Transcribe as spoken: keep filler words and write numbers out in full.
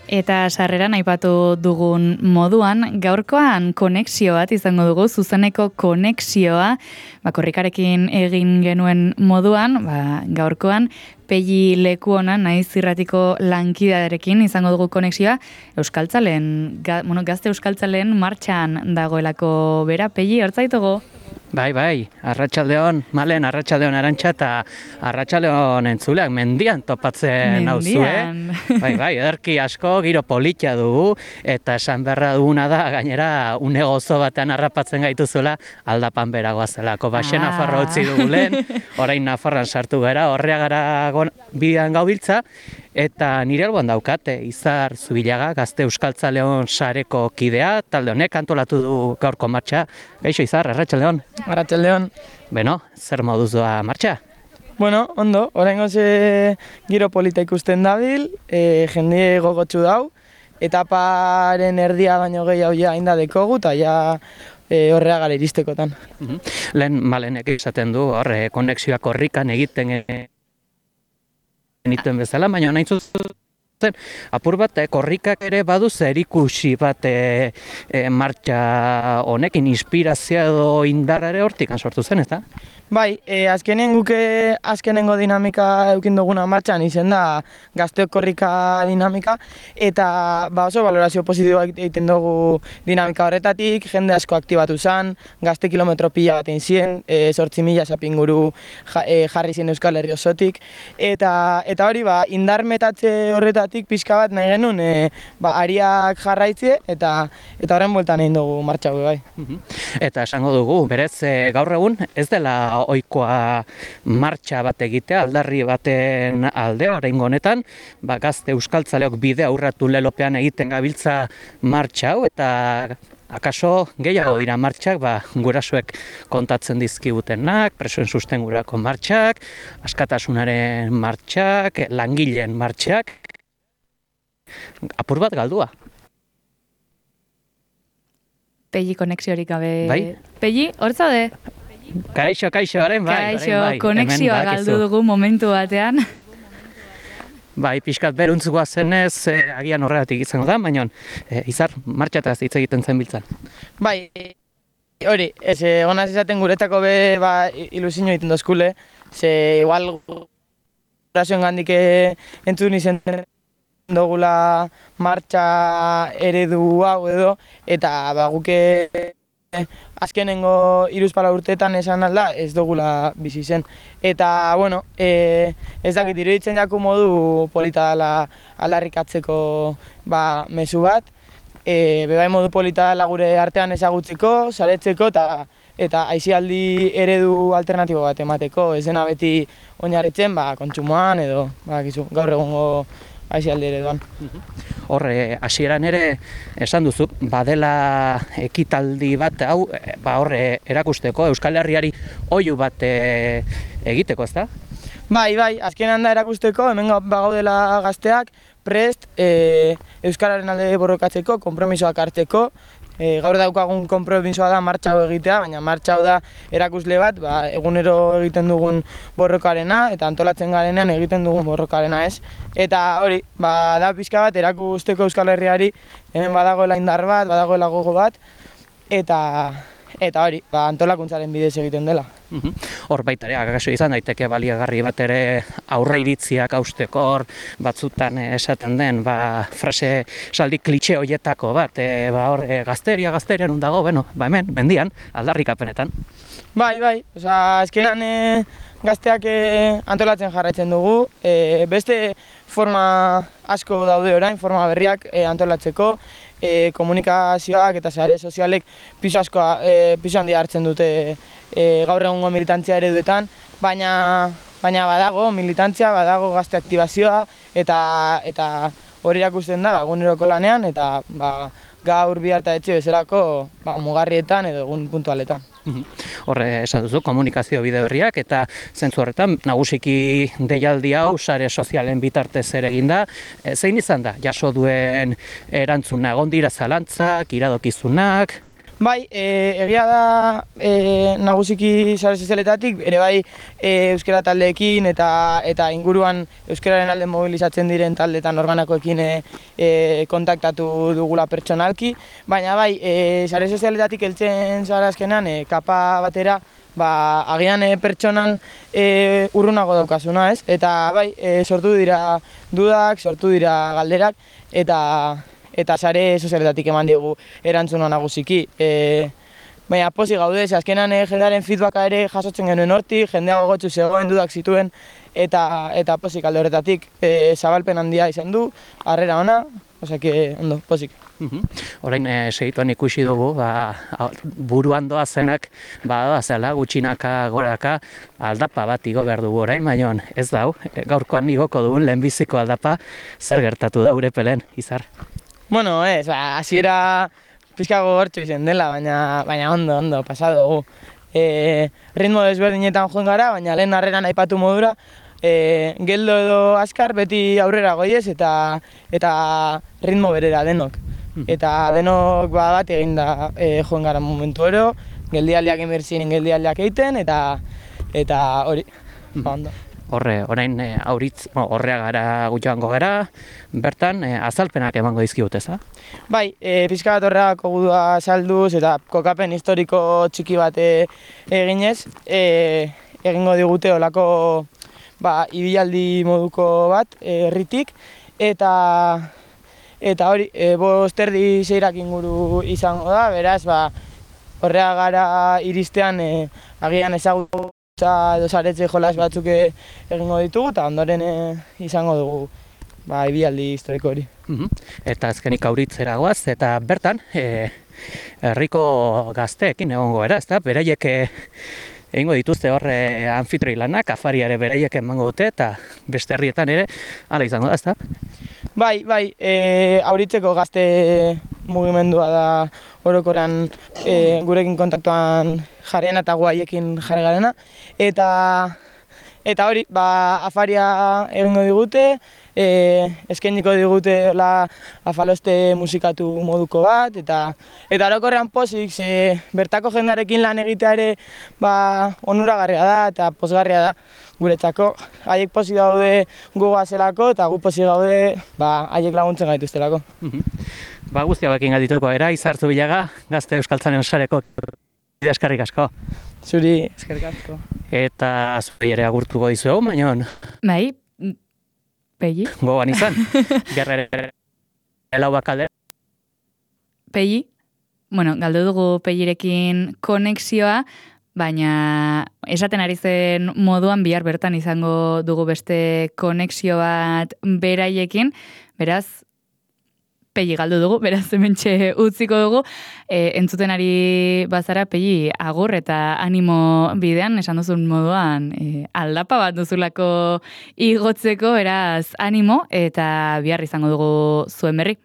Eta sarreran aipatu dugun moduan, gaurkoan konexio bat izango dugu, zuzeneko konexioa, ba, korrikarekin egin genuen moduan, ba, gaurkoan, Pelli Lekuona naiz irratiko lankidearekin izango dugu konexioa, Euskaltzaleen, ga, bueno, gazte Euskaltzaleen martxan dagoelako bera. Pelli, hortzaitugu? Bai, bai, arratsaldeon, Malen, arratsaldeon Arantxa eta arratsaldeon entzuleak mendian topatzen nauzue. Bai, bai, ederki asko, giro politia dugu, eta esan beharra duguna da, gainera, une gozo batean harrapatzen gaituzuela, aldapan beragoa zelako. Baxe ah. Nafarroa utzi dugu lehen, orain Nafarroan sartu gara, Horreagara bidean gaubiltza, eta nire alboan daukate, Izar Zubilaga, gazte Euskaltzaleon sareko kidea, talde honek antolatu du gaurko martxa. Gaixo, Izar, arratsaldeon. Arratsaldeon. Beno, zer moduz doa martxa? Bueno, ondo, oraingoz e, giro polita ikusten dabil, e, jende gogotsu dau, etaparen erdia baino gehiago ja inda dekogu, eta ja e, Horreagara iristekotan. Uh-huh. Lehen Malenek esaten du, horre, konexioak korrikan egiten e, nituen bezala, baina nahi zuzen, apur bat, eh, korrikak ere badu zerikusi bat eh, eh, martxa honekin, inspirazioa edo indarra ere hortik sortu zen, ez da? Bai, e, azkenen guke azkenengo dinamika eukin duguna martxan izen da gazteok korrika dinamika, eta ba, oso valorazio positiboa egiten dugu dinamika horretatik, jende asko aktibatu zen, gazte kilometro pila bat egin ziren, e, sortzi mila sapinguru ja, e, jarri zien Euskal Herri osotik, eta, eta hori ba, indar metatze horretatik pixka bat nahi genuen e, ba, ariak jarraitzie, eta eta horren bueltan egin dugu martxa hau bai. Eta esango dugu, berez e, gaur egun ez dela ohikoa martxa bat egitea, aldarri baten alde, oraingo honetan, ba, gazte Euskaltzaleok bidea urratu lelopean egiten gabiltza martxa hau, eta akaso gehiago dira martxak, ba, gurasoek kontatzen dizkigutenak, presoen sustengurako martxak, askatasunaren martxak, langileen martxak, apur bat galdua. Pelli konexiorik gabe. Bai? Pelli, hor zaude? Kaixo, kaixo, haren bai. Kaixo, bai. konexioa galdu dugu momentu batean. Bai, pixkat beruntzukoa zenez, eh, agian horregatik izango da, baina eh, Izar, martxataz hitz egiten zen biltzan. Bai, hori, ez, egonaz esaten guretako be ba, ilusio egiten dozkule, ze igual gurasoen gandik entzun izen dugula martxa eredu hau edo, eta ba, guke azkenengo hiruzpalau urteetan esan alda ez dugula bizi zen. Eta, bueno, e, ez dakit, iruditzen jaku modu polita dela aldarrikatzeko ba, mezu bat, e, bebai modu polita dela gure artean ezagutzeko, saretzeko, eta eta aisialdi eredu alternatibo bat emateko, ez dena beti oinarritzen ba, kontsumoan edo ba, gizu, gaur egungo aisialdi ereduan. Horre, hasieran ere esan duzu, badela ekitaldi bat hau, ba horre erakusteko, Euskal Herriari oihu bat e, egiteko, ezta? Bai, bai, azkenean da erakusteko, hemen bagaudela gazteak, prest, e, Euskararen alde borrokatzeko, konpromisoak hartzeko, e, gaur daukagun konpromisoa da martxa hau egitea, baina martxa hau da erakusle bat, ba, egunero egiten dugun borrokarena, eta antolatzen garenean egiten dugun borrokarena ez. Eta hori, ba, da pixka bat erakusteko Euskal Herriari, hemen badagoela indar bat, badagoela gogo bat, eta eta hori, ba, antolakuntzaren bidez egiten dela. Hor baita ere, akaso izan daiteke baliagarri bat ere aurre iritziak hausteko, hor batzutan esaten den, ba, frase saldi klitxe horietako bat, e, ba, hor, e, gazteria, gazteria nun dago, bueno, ba hemen, mendian, aldarrikapenetan. Bai, bai, oza, azkenan e, gazteak e, antolatzen jarraitzen dugu, e, beste forma asko daude orain, forma berriak e, antolatzeko, e, komunikazioak eta sare sozialek pisu asko, e, pisu handia hartzen dute e, gaur egungo militantzia ereduetan, baina, baina badago militantzia, badago gazte aktibazioa, eta, eta hori erakusten da eguneroko lanean, eta ba, gaur bihar eta etxe bezalako ba, mugarrietan edo egun puntualetan. Horre esan duzu, komunikazio bide berriak eta zentzu horretan nagusiki deialdi hau sare sozialen bitartez ere eginda. E, zein izan da, jaso duen erantzuna, egon dira zalantzak, iradokizunak? Bai, e, egia da e, nagusiki sare sozialetatik, ere bai e, euskara taldeekin eta eta inguruan euskararen alde mobilizatzen diren taldeetan organakoekin e, e, kontaktatu dugula pertsonalki, baina bai, e, sare sozialetatik heltzen zara azkenan e, kapa batera, ba, agian e, pertsonan e, urrunago daukasuna, ez? Eta bai, e, sortu dira dudak, sortu dira galderak, eta eta sare sozialetatik eman digu erantzuna nagusiki. E, baina pozik gaude, ze azkenan e, jendearen feedbacka ere jasotzen genuen hortik, jendea gogotsu zegoen dudak zituen, eta eta pozik alde horretatik e, zabalpen handia izan du, harrera ona, osea que ondo, pozik. Orain e, segituan ikusi dugu, ba, buruan doa zenak, ba, zela, gutxinaka, goraka, aldapa bat igo behar dugu orain, baina ez dau, gaurkoan igoko dugun lehenbiziko aldapa, zer gertatu da Urepelen, Izar? Bueno, ez, ba, hasiera pixka gogortxo izan dela, baina, baina ondo, ondo, pasado dugu. E, ritmo desberdinetan joan gara, baina lehen harreran aipatu modura, e, geldo edo azkar beti aurrera goiez eta eta ritmo berera denok. Eta denok ba, bat egin da e, joan gara momentu ero, geldialdiak inbertzien geldialdiak egiten, eta eta hori, ba, ondo. Horre, orain e, auritz, bueno, horrea gara gutxoango gara, bertan e, azalpenak emango dizkigut, eza? Bai, e, pixka bat horreako gudua salduz eta kokapen historiko txiki bat e, eginez, e, egingo digute olako ba, ibilaldi moduko bat herritik, eta eta hori, e, bost erdi seirak inguru izango da, beraz, ba, horrea gara iristean e, agian ezagutu edo saretze jolas batzuk egingo ditugu, eta ondoren e, izango dugu ba, ibialdi historiko hori. Eta azkenik auritzera goaz, eta bertan, e, herriko gazteekin egongo era, ezta? Beraiek e, egingo dituzte horre anfitroi lanak, afariare beraiek emango dute, eta beste herrietan ere, hala izango da, ezta? Bai, bai, e, auritzeko gazte mugimendua da orokoran e, gurekin kontaktuan jarriena eta guaiekin jarri garena. Eta, eta hori, ba, afaria egingo digute, e, eskainiko digute la afaloste musikatu moduko bat, eta eta orokorrean pozik, ze bertako jendarekin lan egitea ere ba, onuragarria da eta pozgarria da guretzako. Haiek pozik daude gogoa zelako eta gu pozik gaude ba, haiek laguntzen gaituztelako. Ba, guzti hauekin gatituko era, Izar Zubillaga, Gazte Euskaltzaleon sareko eskerrik asko. Zuri, eskerrik asko. Eta zuri ere agurtuko dizuegu, baina Bai, Pegi? gogoan izan, gerrere lau bakalde. Pegi? Bueno, galdu dugu Pegirekin konexioa, baina esaten ari zen moduan bihar bertan izango dugu beste konexio bat beraiekin, beraz, Pegi galdu dugu, beraz hementxe utziko dugu, e, entzuten ari bazara Pegi agur eta animo bidean, esan duzun moduan, e, aldapa bat duzulako igotzeko, beraz animo, eta bihar izango dugu zuen berri.